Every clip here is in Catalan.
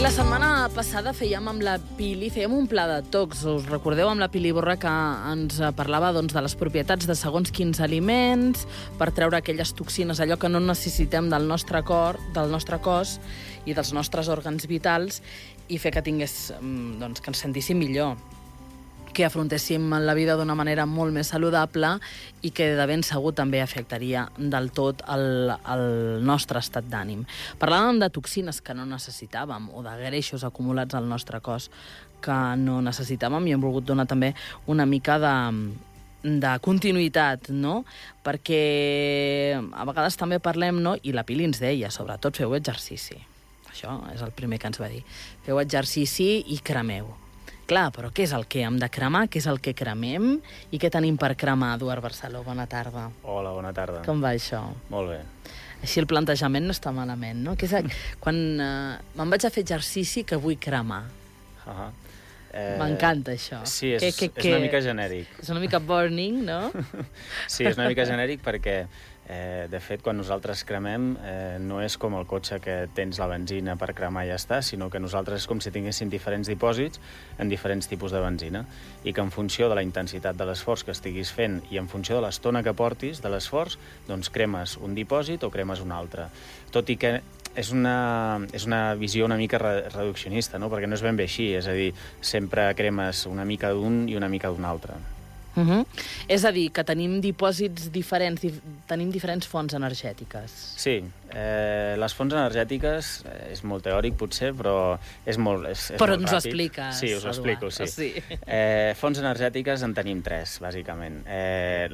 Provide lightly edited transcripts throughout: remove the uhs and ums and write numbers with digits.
la setmana passada fèiem amb la Pili, fèiem un pla de tocs. Us recordeu amb la Pili Borra que ens parlava de les propietats de segons quins aliments per treure aquelles toxines, allò que no necessitem del nostre cos i dels nostres òrgans vitals i fer que que ens sentíssim millor, que afrontéssim la vida d'una manera molt més saludable i que de ben segur també afectaria del tot el nostre estat d'ànim. Parlàvem de toxines que no necessitàvem o de greixos acumulats al nostre cos que no necessitàvem i hem volgut donar també una mica de continuïtat, no? Perquè a vegades també parlem, no? I la Pili ens deia, sobretot feu exercici. Això és el primer que ens va dir. Feu exercici i cremeu. Clar, però què és el que hem de cremar? Què és el que cremem? I què tenim per cremar, Eduard Barceló? Bona tarda. Hola, bona tarda. Com va això? Molt bé. Així el plantejament no està malament, no? Quan me'n vaig a fer exercici que vull cremar. M'encanta això. Sí, és una mica genèric. És una mica burning, no? Sí, és una mica genèric perquè, de fet, quan nosaltres cremem, no és com el cotxe que tens la benzina per cremar i ja està, sinó que nosaltres és com si tinguéssim diferents dipòsits en diferents tipus de benzina i que en funció de la intensitat de l'esforç que estiguis fent i en funció de l'estona que portis de l'esforç, doncs cremes un dipòsit o cremes un altre. Tot i que és una visió una mica reduccionista, no? Perquè no és ben bé així, és a dir, sempre cremes una mica d'un i una mica d'un altre. És a dir, que tenim dipòsits diferents, tenim diferents fonts energètiques. Sí, les fonts energètiques és molt teòric potser, però és molt ràpid. Però ens ho expliques, Sí, us ho explico, sí. Fonts energètiques en tenim tres, bàsicament.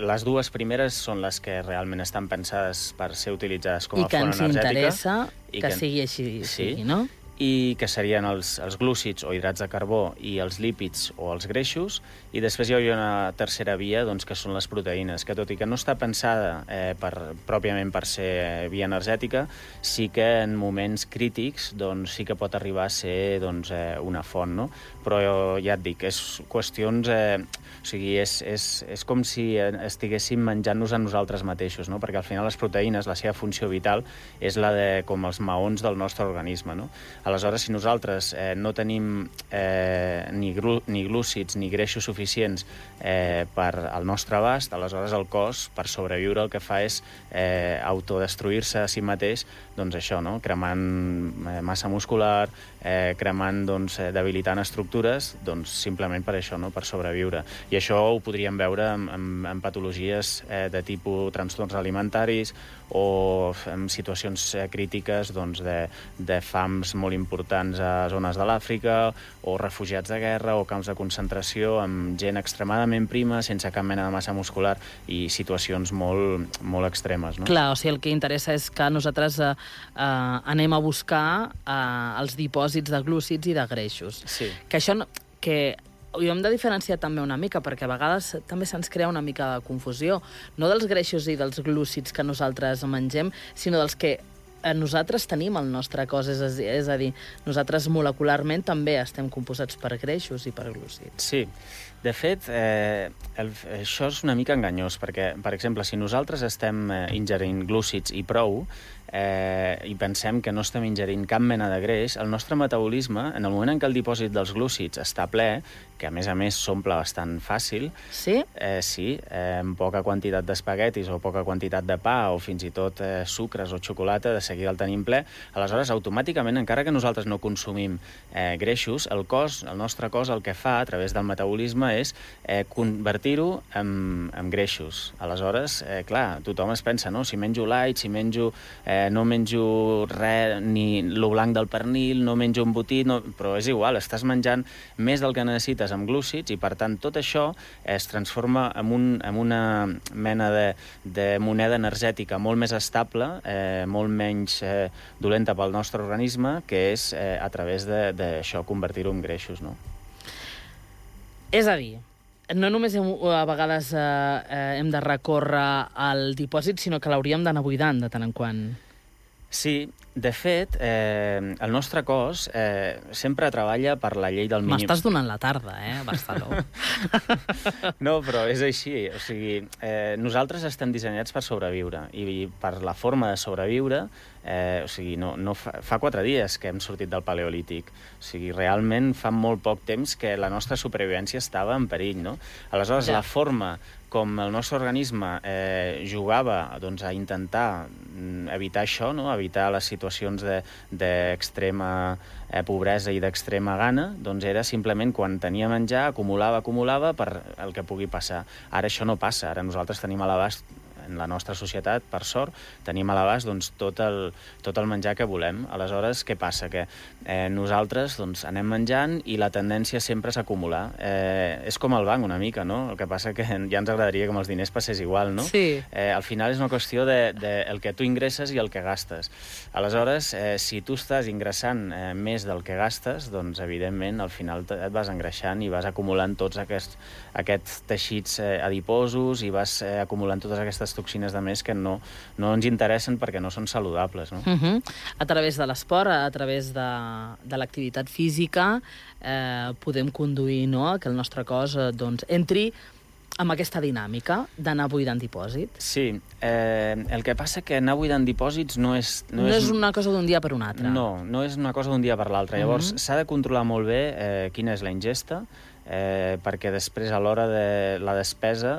Les dues primeres són les que realment estan pensades per ser utilitzades com a font energètica. I que ens interessa que sigui així, no? I que serien els glúcids o hidrats de carbó i els lípids o els greixos, i després hi hauria una tercera via, doncs, que són les proteïnes, que tot i que no està pensada pròpiament per ser via energètica, sí que en moments crítics doncs, sí que pot arribar a ser una font, no? Però ja et dic, és qüestions... O sigui, és com si estiguéssim menjant-nos a nosaltres mateixos, no? Perquè al final les proteïnes, la seva funció vital, és la de com els maons del nostre organisme, no? Aleshores, si nosaltres no tenim ni glúcids ni greixos suficients per al nostre abast, aleshores el cos, per sobreviure, el que fa és autodestruir-se a si mateix, doncs això, no? Cremant massa muscular, cremant, debilitant estructures, doncs simplement per això, no? Per sobreviure. I això ho podríem veure en patologies de tipus trastorns alimentaris o en situacions crítiques de fams molt importants a zones de l'Àfrica o refugiats de guerra o camps de concentració amb gent extremadament prima, sense cap mena de massa muscular i situacions molt, molt extremes, no? Clar, o sigui, el que interessa és que nosaltres anem a buscar els dipòsits de glúcids i de greixos. Sí. Que això ho hem de diferenciar també una mica, perquè a vegades també se'ns crea una mica de confusió, no dels greixos i dels glúcids que nosaltres mengem, sinó dels que nosaltres tenim al nostre cos, és a dir, nosaltres molecularment també estem composats per greixos i per glúcids. Sí, de fet, això és una mica enganyós, perquè, per exemple, si nosaltres estem ingerint glúcids i prou, i pensem que no estem ingerint cap mena de greix, el nostre metabolisme, en el moment en què el dipòsit dels glúcids està ple, que a més s'omple bastant fàcil, sí? Sí, amb poca quantitat d'espaguetis o poca quantitat de pa o fins i tot sucres o xocolata, de seguida el tenim ple, aleshores automàticament, encara que nosaltres no consumim greixos, el nostre cos el que fa a través del metabolisme és convertir-ho en greixos. Aleshores, clar, tothom es pensa, no? Si menjo light, si no menjo res, ni lo blanc del pernil, no menjo embotit, però és igual, estàs menjant més del que necessites amb glúcids i, per tant, tot això es transforma en una mena de moneda energètica molt més estable, molt menys dolenta pel nostre organisme, que és a través d'això, convertir-ho en greixos, no? És a dir, no només a vegades hem de recórrer al dipòsit, sinó que l'hauríem d'anar buidant de tant en quant. Sí, De fet, el nostre cos sempre treballa per la llei del mínim... M'estàs donant la tarda, Barceló. No, però és així. O sigui, nosaltres estem dissenyats per sobreviure i per la forma de sobreviure, o sigui, fa 4 dies que hem sortit del Paleolític. O sigui, realment fa molt poc temps que la nostra supervivència estava en perill, no? Aleshores, la forma com el nostre organisme jugava a intentar evitar això, no? Evitar les situacions d'extrema pobresa i d'extrema gana, doncs era simplement quan tenia menjar, acumulava per el que pugui passar. Ara això no passa, ara nosaltres tenim a l'abast, en la nostra societat, per sort, tenim a l'abast tot el menjar que volem. Aleshores, què passa? Que nosaltres anem menjant i la tendència sempre és acumular. És com el banc, una mica, no? El que passa que ja ens agradaria que amb els diners passés igual, no? Sí. Al final és una qüestió del que tu ingresses i el que gastes. Aleshores, si tu estàs ingressant més del que gastes, doncs, evidentment, al final et vas engreixant i vas acumulant tots aquests teixits adiposos i vas acumulant totes aquestes toxines de més que no ens interessen perquè no són saludables, no? A través de l'esport, a través de l'activitat física, podem conduir, no?, que el nostre cos entri amb aquesta dinàmica d'anar buidant dipòsits. Sí, el que passa que anar buidant dipòsits no és una cosa d'un dia per un altre. No és una cosa d'un dia per l'altre. Llavors, s'ha de controlar molt bé quina és la ingesta, perquè després, a l'hora de la despesa,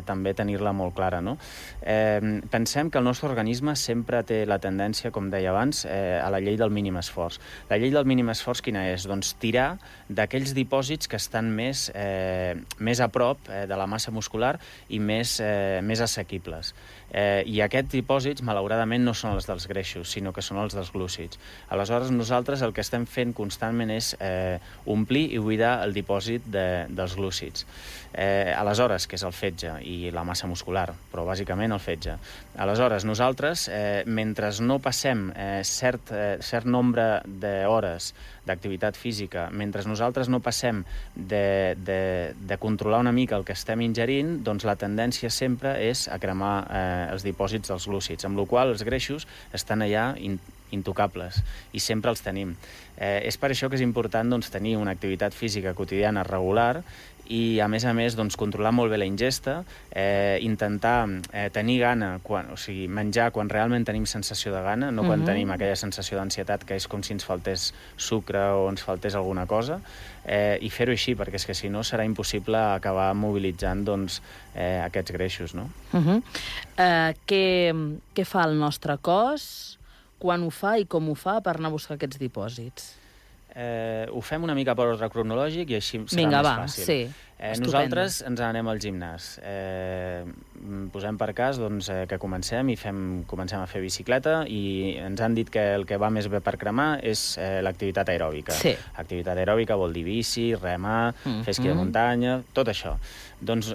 també tenir-la molt clara, no? Pensem que el nostre organisme sempre té la tendència, com deia abans, a la llei del mínim esforç. La llei del mínim esforç quina és? Doncs tirar d'aquells dipòsits que estan més a prop de la massa muscular i més assequibles. I aquests dipòsits, malauradament, no són els dels greixos, sinó que són els dels glúcids. Aleshores, nosaltres el que estem fent constantment és omplir i buidar el dipòsit dels glúcids. Aleshores, que és el fetge i la massa muscular, però bàsicament el fetge. Aleshores, nosaltres, mentre no passem cert nombre d'hores d'activitat física, mentre nosaltres no passem de controlar una mica el que estem ingerint, doncs la tendència sempre és a cremar els dipòsits dels glúcids, amb la qual cosa els greixos estan allà intocables i sempre els tenim. És per això que és important tenir una activitat física quotidiana regular i, a més, controlar molt bé la ingesta, intentar tenir gana, menjar quan realment tenim sensació de gana, no quan tenim aquella sensació d'ansietat que és com si ens faltés sucre o ens faltés alguna cosa, i fer-ho així, perquè és que si no serà impossible acabar mobilitzant aquests greixos, no? Què fa el nostre cos, quan ho fa i com ho fa per anar a buscar aquests dipòsits? Ho fem una mica per ordre cronològic i així serà més fàcil. Sí. Nosaltres ens anem al gimnàs. Posem per cas que comencem a fer bicicleta i ens han dit que el que va més bé per cremar és l'activitat aeròbica. Sí. Activitat aeròbica vol dir bici, remar, fer esquí de muntanya, tot això. Doncs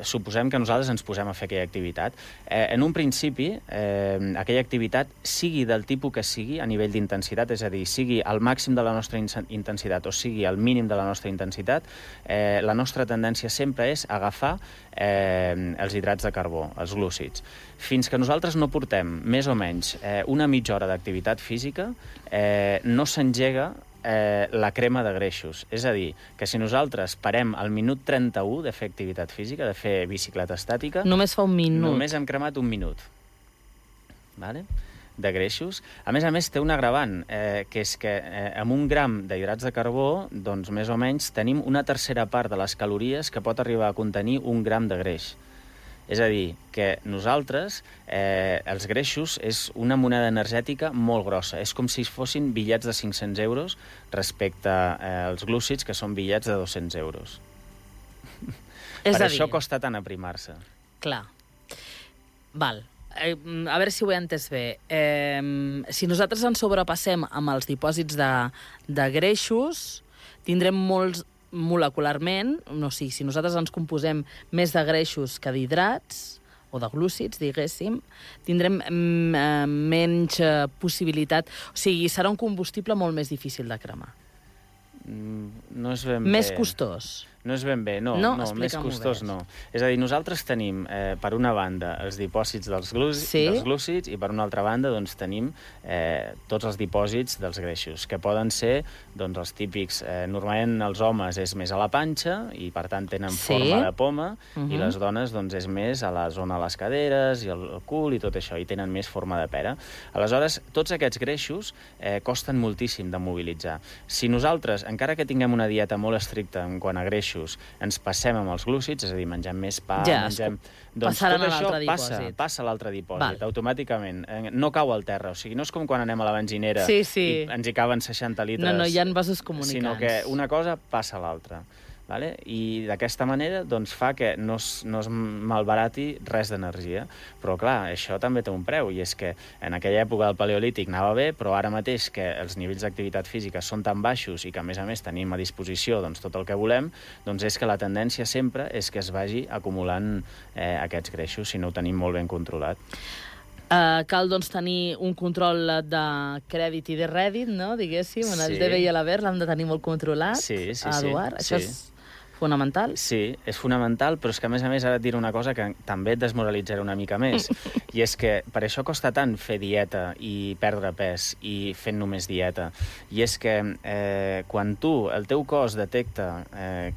suposem que nosaltres ens posem a fer aquella activitat. En un principi, aquella activitat, sigui del tipus que sigui a nivell d'intensitat, és a dir, sigui al màxim de la nostra intensitat o sigui al mínim de la nostra intensitat, la nostra tendència sempre és agafar els hidrats de carbó, els glúcids. Fins que nosaltres no portem més o menys una mitja hora d'activitat física, no s'engega la crema de greixos. És a dir, que si nosaltres parem al minut 31 de fer activitat física, de fer bicicleta estàtica... Només fa un minut. Només hem cremat un minut. Vale? De greixos. A més, té un agravant, que és que amb 1 gram d'hidrats de carbó, doncs més o menys tenim una tercera part de les calories que pot arribar a contenir 1 gram de greix. És a dir, que nosaltres, els greixos, és una moneda energètica molt grossa. És com si fossin bitllets de 500 euros respecte als glúcids, que són bitllets de 200 euros. Per això costa tant aprimar-se. Clar. Val. A veure si ho he entès bé. Si nosaltres ens sobrepassem amb els dipòsits de greixos, tindrem molts molecularment, no sé, si nosaltres ens composem més de greixos que d'hidrats, o de glúcids, diguéssim, tindrem menys possibilitat... O sigui, serà un combustible molt més difícil de cremar. No és ben bé... Més costós. No és ben bé, no, més costós no. És a dir, nosaltres tenim, per una banda, els dipòsits dels glúcids i per una altra banda doncs, tenim tots els dipòsits dels greixos, que poden ser doncs, els típics... normalment els homes és més a la panxa i, per tant, tenen forma de poma i les dones doncs, és més a la zona de les caderes i el cul i tot això, i tenen més forma de pera. Aleshores, tots aquests greixos costen moltíssim de mobilitzar. Si nosaltres, encara que tinguem una dieta molt estricta en quant a greixos, ens passem amb els glúcids, és a dir, mengem més pa, mengem... Doncs tot això passa a l'altre dipòsit, automàticament. No cau al terra, o sigui, no és com quan anem a la benzinera i ens hi caben 60 litres. No, hi ha vasos comunicants. Sinó que una cosa passa a l'altra. Vale? I d'aquesta manera doncs, fa que no es malbarati res d'energia. Però, clar, això també té un preu, i és que en aquella època del paleolític anava bé, però ara mateix que els nivells d'activitat física són tan baixos i que, a més tenim a disposició doncs, tot el que volem, doncs és que la tendència sempre és que es vagi acumulant aquests greixos si no ho tenim molt ben controlat. Cal, doncs, tenir un control de crèdit i de rèdit, no?, diguéssim. En el DB i l'haver l'hem de tenir molt controlat. Eduard, això és fonamental? Sí, és fonamental, però és que, a més, ara et diré una cosa que també et desmoralitzarà una mica més, i és que per això costa tant fer dieta i perdre pes i fent només dieta. I és que quan el teu cos detecta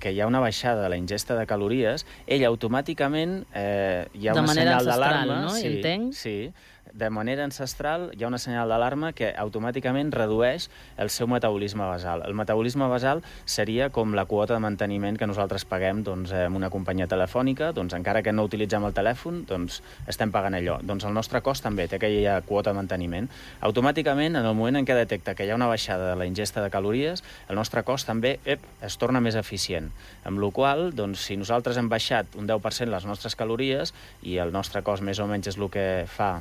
que hi ha una baixada de la ingesta de calories, ell automàticament hi ha una senyal d'alarma. De manera ancestral, no? Entenc? Sí, de manera ancestral hi ha una senyal d'alarma que automàticament redueix el seu metabolisme basal. El metabolisme basal seria com la quota de manteniment que nosaltres paguem doncs, en una companyia telefònica, doncs encara que no utilitzem el telèfon, doncs estem pagant allò. Doncs el nostre cos també té aquella quota de manteniment. Automàticament, en el moment en què detecta que hi ha una baixada de la ingesta de calories, el nostre cos també es torna més eficient. Amb la qual cosa, doncs, si nosaltres hem baixat un 10% les nostres calories i el nostre cos més o menys és el que fa,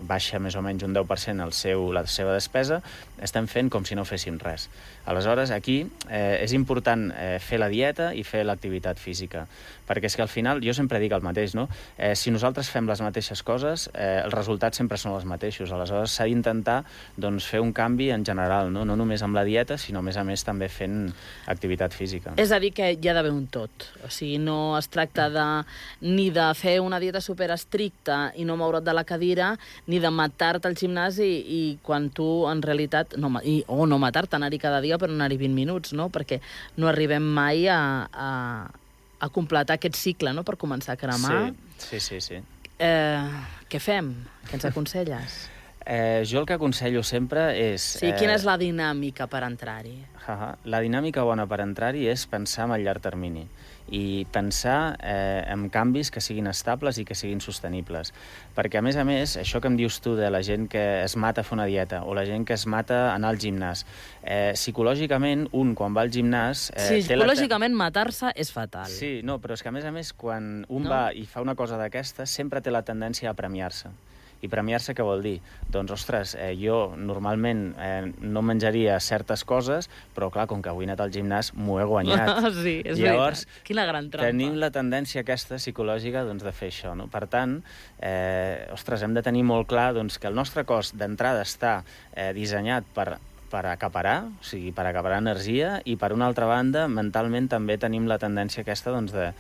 baixa més o menys un 10% la seva despesa, estem fent com si no féssim res. Aleshores, aquí és important fer la dieta i fer l'activitat física, perquè és que al final, jo sempre dic el mateix, no? Si nosaltres fem les mateixes coses, els resultats sempre són els mateixos. Aleshores, s'ha d'intentar doncs, fer un canvi en general, no només amb la dieta, sinó, a més també fent activitat física. És a dir, que hi ha d'haver un tot. O sigui, no es tracta ni de fer una dieta superestricta i no moure't de la cadira, ni de matar-te al gimnàs i quan tu, en realitat, no matar-te, anar-hi cada dia, però anar-hi 20 minuts, no? Perquè no arribem mai a completar aquest cicle, no?, per començar a cremar. Sí. Què fem? Què ens aconselles? Jo el que aconsello sempre és... Sí, quina és la dinàmica per entrar-hi? La dinàmica bona per entrar-hi és pensar en el llarg termini i pensar en canvis que siguin estables i que siguin sostenibles. Perquè, a més, això que em dius tu de la gent que es mata a fer una dieta o la gent que es mata a anar al gimnàs, psicològicament, quan va al gimnàs... Sí, psicològicament matar-se és fatal. Sí, però és que, a més, quan va i fa una cosa d'aquesta, sempre té la tendència a premiar-se. I premiar-se què vol dir? Doncs, ostres, jo normalment no menjaria certes coses, però, clar, com que avui he anat al gimnàs, m'ho he guanyat. Sí, és Llavors, veritat. Quina gran trampa. Tenim la tendència aquesta psicològica doncs, de fer això, no? Per tant, hem de tenir molt clar doncs, que el nostre cos d'entrada està dissenyat per acaparar, o sigui, per acaparar energia, i per una altra banda, mentalment també tenim la tendència aquesta doncs, de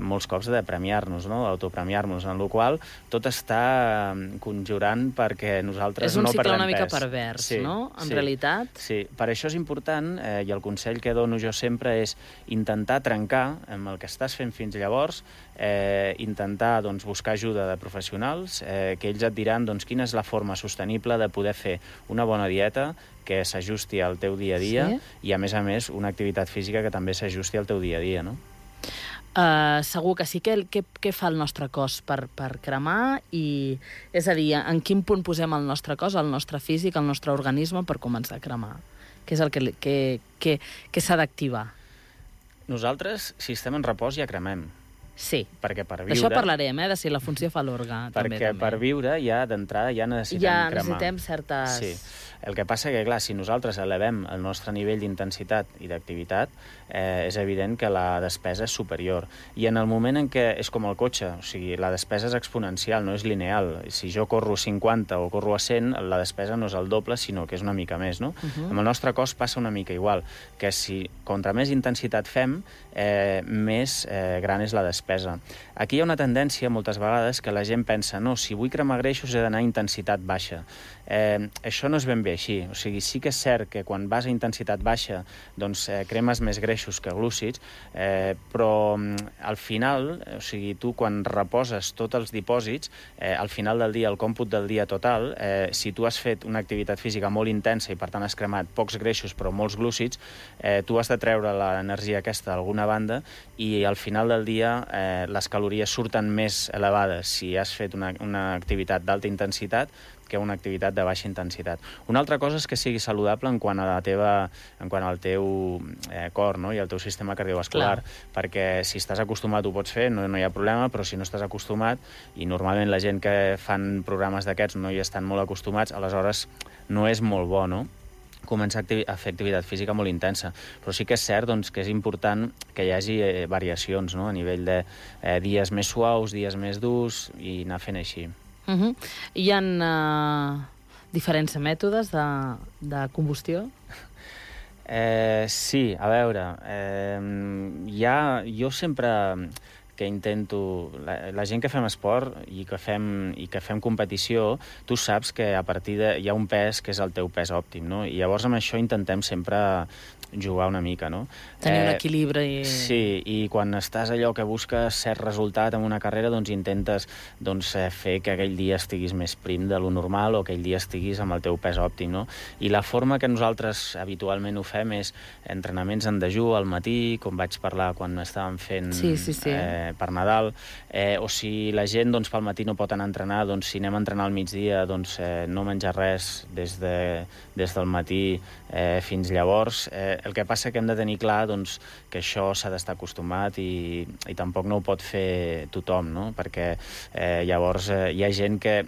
molts cops de premiar-nos, no? Autopremiar-nos, en la qual tot està conjurant perquè nosaltres no perdem pes. És un cicle una mica pervers, no? En realitat. Sí, per això és important, i el consell que dono jo sempre és intentar trencar amb el que estàs fent fins llavors, intentar doncs, buscar ajuda de professionals, que ells et diran doncs, quina és la forma sostenible de poder fer una bona dieta que s'ajusti al teu dia a dia i, a més, una activitat física que també s'ajusti al teu dia a dia, no? Segur que sí. Què fa el nostre cos per cremar? És a dir, en quin punt posem el nostre cos, el nostre físic, el nostre organisme per començar a cremar? Què és el que s'ha d'activar? Nosaltres, si estem en repòs, ja cremem. Sí. Perquè per viure... D'això parlarem, de si la funció fa l'orga. Perquè per viure ja d'entrada ja necessitem cremar. Necessitem certes... Sí. El que passa que, clar, si nosaltres elevem el nostre nivell d'intensitat i d'activitat, és evident que la despesa és superior. I en el moment en què és com el cotxe, o sigui, la despesa és exponencial, no és lineal. Si jo corro 50 o corro a 100, la despesa no és el doble, sinó que és una mica més, no? Amb el nostre cos passa una mica igual, que si contra més intensitat fem, més gran és la despesa. Aquí hi ha una tendència, moltes vegades, que la gent pensa, no, si vull cremar greixos he d'anar a intensitat baixa. Això no és ben bé així. O sigui, sí que és cert que quan vas a intensitat baixa doncs cremes més greixos que glúcids, però al final, o sigui, tu quan reposes tots els dipòsits, al final del dia, el còmput del dia total, si tu has fet una activitat física molt intensa i per tant has cremat pocs greixos però molts glúcids, tu has de treure l'energia aquesta d'alguna banda i al final del dia les calories surten més elevades si has fet una activitat d'alta intensitat que una activitat de baixa intensitat. Una altra cosa és que sigui saludable en quant al teu cor, no? I al teu sistema cardiovascular, perquè si estàs acostumat ho pots fer, no hi ha problema, però si no estàs acostumat, i normalment la gent que fan programes d'aquests no hi estan molt acostumats, aleshores no és molt bo, no?, començar a fer activitat física molt intensa. Però sí que és cert doncs, que és important que hi hagi variacions, no?, a nivell de dies més suaus, dies més durs, i anar fent així. Hi ha diferents mètodes de combustió? Sí, a veure, jo sempre que intento... La gent que fem esport i que fem competició, tu saps que a partir hi ha un pes que és el teu pes òptim, no? I llavors amb això intentem sempre jugar una mica, no? Tenir un equilibri. Sí, i quan estàs allò que busques cert resultat en una carrera, doncs intentes fer que aquell dia estiguis més prim de lo normal o aquell dia estiguis amb el teu pes òptim, no? I la forma que nosaltres habitualment ho fem és entrenaments en dejú al matí, com vaig parlar quan estàvem fent per Nadal, o si la gent pel matí no pot anar a entrenar, doncs si anem a entrenar al migdia, no menjar res des del matí fins llavors. El que passa que hem de tenir clar que això s'ha d'estar acostumat i tampoc no ho pot fer tothom, no? Perquè llavors hi ha gent que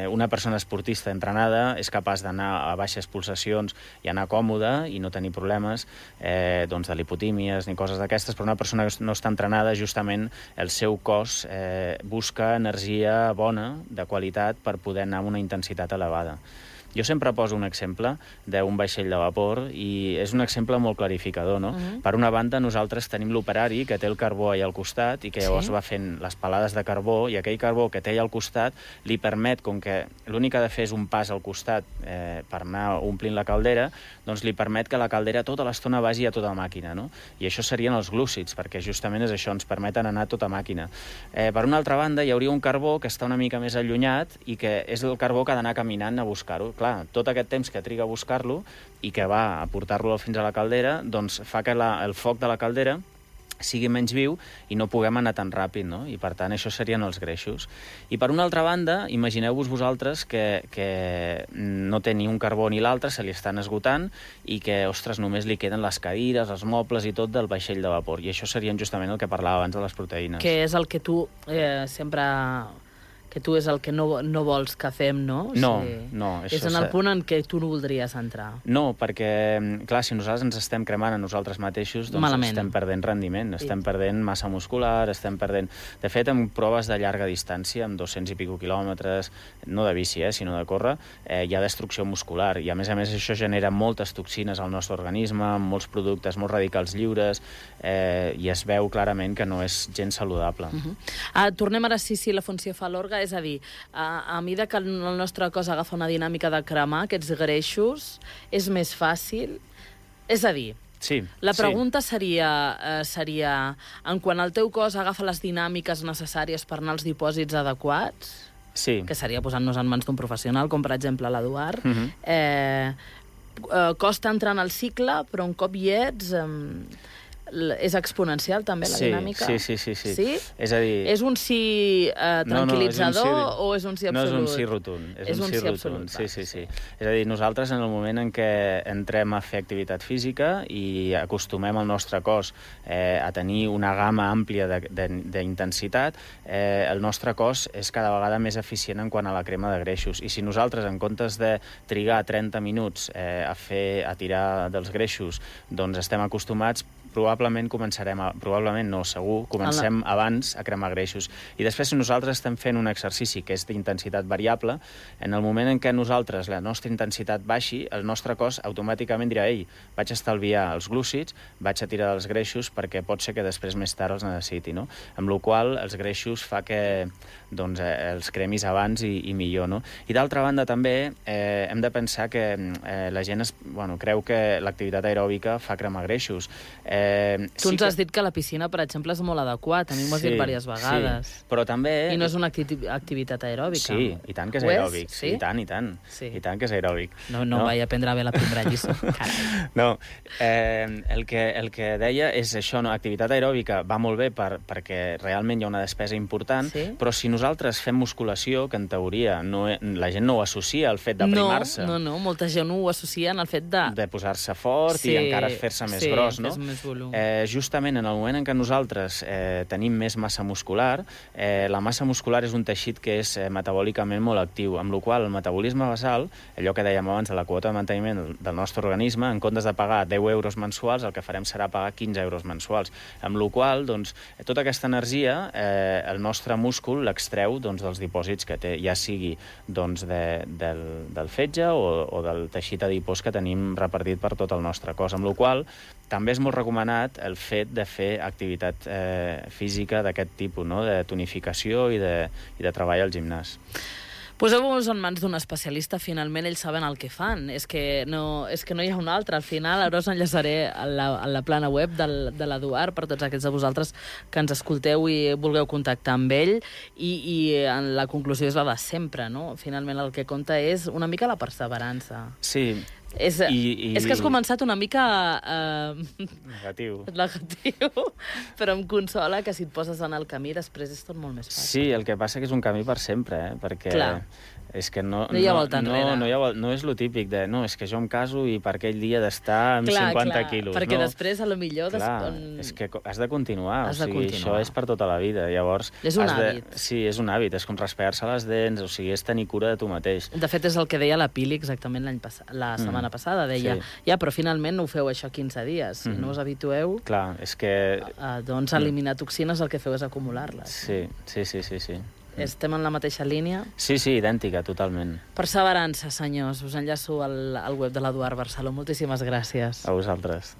una persona esportista entrenada és capaç d'anar a baixes pulsacions i anar còmoda i no tenir problemes de lipotímies ni coses d'aquestes, però una persona que no està entrenada, justament el seu cos busca energia bona, de qualitat, per poder anar amb una intensitat elevada. Jo sempre poso un exemple d'un vaixell de vapor i és un exemple molt clarificador, no? Per una banda, nosaltres tenim l'operari que té el carbó allà al costat i que llavors va fent les pelades de carbó, i aquell carbó que té allà al costat li permet, com que l'únic que ha de fer és un pas al costat per anar omplint la caldera, doncs li permet que la caldera tota l'estona vagi a tota màquina, no? I això serien els glúcids, perquè justament és això, ens permeten anar a tota màquina. Per una altra banda, hi hauria un carbó que està una mica més allunyat i que és el carbó que ha d'anar caminant a buscar-ho. Clar, tot aquest temps que triga a buscar-lo i que va a portar-lo fins a la caldera, doncs fa que el foc de la caldera sigui menys viu i no puguem anar tan ràpid, no? I per tant això serien els greixos. I per una altra banda, imagineu-vos vosaltres que no té ni un carbó ni l'altre, se li estan esgotant i que, ostres, només li queden les cadires, els mobles i tot del vaixell de vapor. I això serien justament el que parlava abans de les proteïnes. Que és el que tu sempre... que tu és el que no vols que fem, no? No. És en el punt en què tu no voldries entrar. No, perquè, clar, si nosaltres ens estem cremant a nosaltres mateixos, doncs estem perdent rendiment, estem perdent massa muscular, estem perdent... De fet, en proves de llarga distància, amb 200 i pico quilòmetres, no de bici, sinó de córrer, hi ha destrucció muscular. I, a més, això genera moltes toxines al nostre organisme, molts productes, molts radicals lliures, i es veu clarament que no és gens saludable. Tornem ara sí, la funció fa l'orga. És a dir, a mesura que el nostre cos agafa una dinàmica de cremar aquests greixos, és més fàcil? És a dir, la pregunta seria, en quan el teu cos agafa les dinàmiques necessàries per anar als dipòsits adequats, que seria posant-nos en mans d'un professional, com per exemple l'Eduard, costa entrar en el cicle, però un cop hi ets... És exponencial, també, la dinàmica? Sí. Sí? És a dir... És un sí tranquil·litzador o és un sí absolut? No és un sí rotund. És un sí absolut. Sí. És a dir, nosaltres en el moment en què entrem a fer activitat física i acostumem el nostre cos a tenir una gamma àmplia d'intensitat, el nostre cos és cada vegada més eficient en quant a la crema de greixos. I si nosaltres, en comptes de trigar 30 minuts a tirar dels greixos, doncs estem acostumats, probablement comencem abans a cremar greixos. I després, si nosaltres estem fent un exercici que és d'intensitat variable, en el moment en què nosaltres, la nostra intensitat baixi, el nostre cos automàticament dirà: ei, vaig estalviar els glúcids, vaig a tirar dels greixos perquè pot ser que després més tard els necessiti, no? Amb la qual cosa els greixos fa que els cremis abans i millor, no? I d'altra banda també hem de pensar que la gent creu que l'activitat aeròbica fa cremar greixos. Tu ens has dit que la piscina, per exemple, és molt adequat. A mi m'ho has dit diverses vegades. Sí, però també... I no és una activitat aeròbica. Sí, i tant que és aeròbic. Sí? I tant. Sí. I tant que és aeròbic. No vaig aprendre bé la primera lliçó. No, el que deia és això, no? Activitat aeròbica va molt bé perquè realment hi ha una despesa important, però si nosaltres fem musculació, que en teoria la gent no ho associa al fet d'aprimar-se. No, molta gent ho associa en el fet de posar-se fort i encara fer-se més gros, no? Més volum. Justament en el moment en què nosaltres tenim més massa muscular, la massa muscular és un teixit que és metabòlicament molt actiu, amb la qual el metabolisme basal, allò que dèiem abans de la quota de manteniment del nostre organisme, en comptes de pagar 10 euros mensuals, el que farem serà pagar 15 euros mensuals, amb la qual cosa, tota aquesta energia el nostre múscul l'extreu dels dipòsits que té, ja sigui del fetge o del teixit adipós que tenim repartit per tot el nostre cos, amb la qual cosa també és molt recomanat el fet de fer activitat física d'aquest tipus, no? De tonificació i de treball al gimnàs. Poseu-vos en mans d'un especialista, finalment ells saben el que fan. És que no hi ha un altre. Al final, ara us enllaçaré a la plana web de l'Eduard per tots aquests de vosaltres que ens escolteu i vulgueu contactar amb ell. I en la conclusió és la de sempre, no? Finalment el que compta és una mica la perseverança. Sí. És que has començat una mica... Negatiu, però em consola que si et poses en el camí després és tot molt més fàcil. Sí, el que passa que és un camí per sempre, perquè... Clar. És que no hi ha volta enrere. No és lo típic de, no, és que jo em caso i per aquell dia d'estar amb 50 quilos. Perquè després, a lo millor... És que has de continuar, això és per tota la vida. Llavors, és un hàbit. Sí, és un hàbit, és com raspar-se les dents, o sigui, és tenir cura de tu mateix. De fet, és el que deia la Pili exactament la setmana passada, deia, però finalment no ho feu això 15 dies, si no us habitueu... Clar, és que... Doncs eliminar toxines el que feu és acumular-les. Sí. Estem en la mateixa línia? Sí, idèntica, totalment. Perseverança, senyors. Us enllaço al web de l'Eduard Barceló. Moltíssimes gràcies. A vosaltres.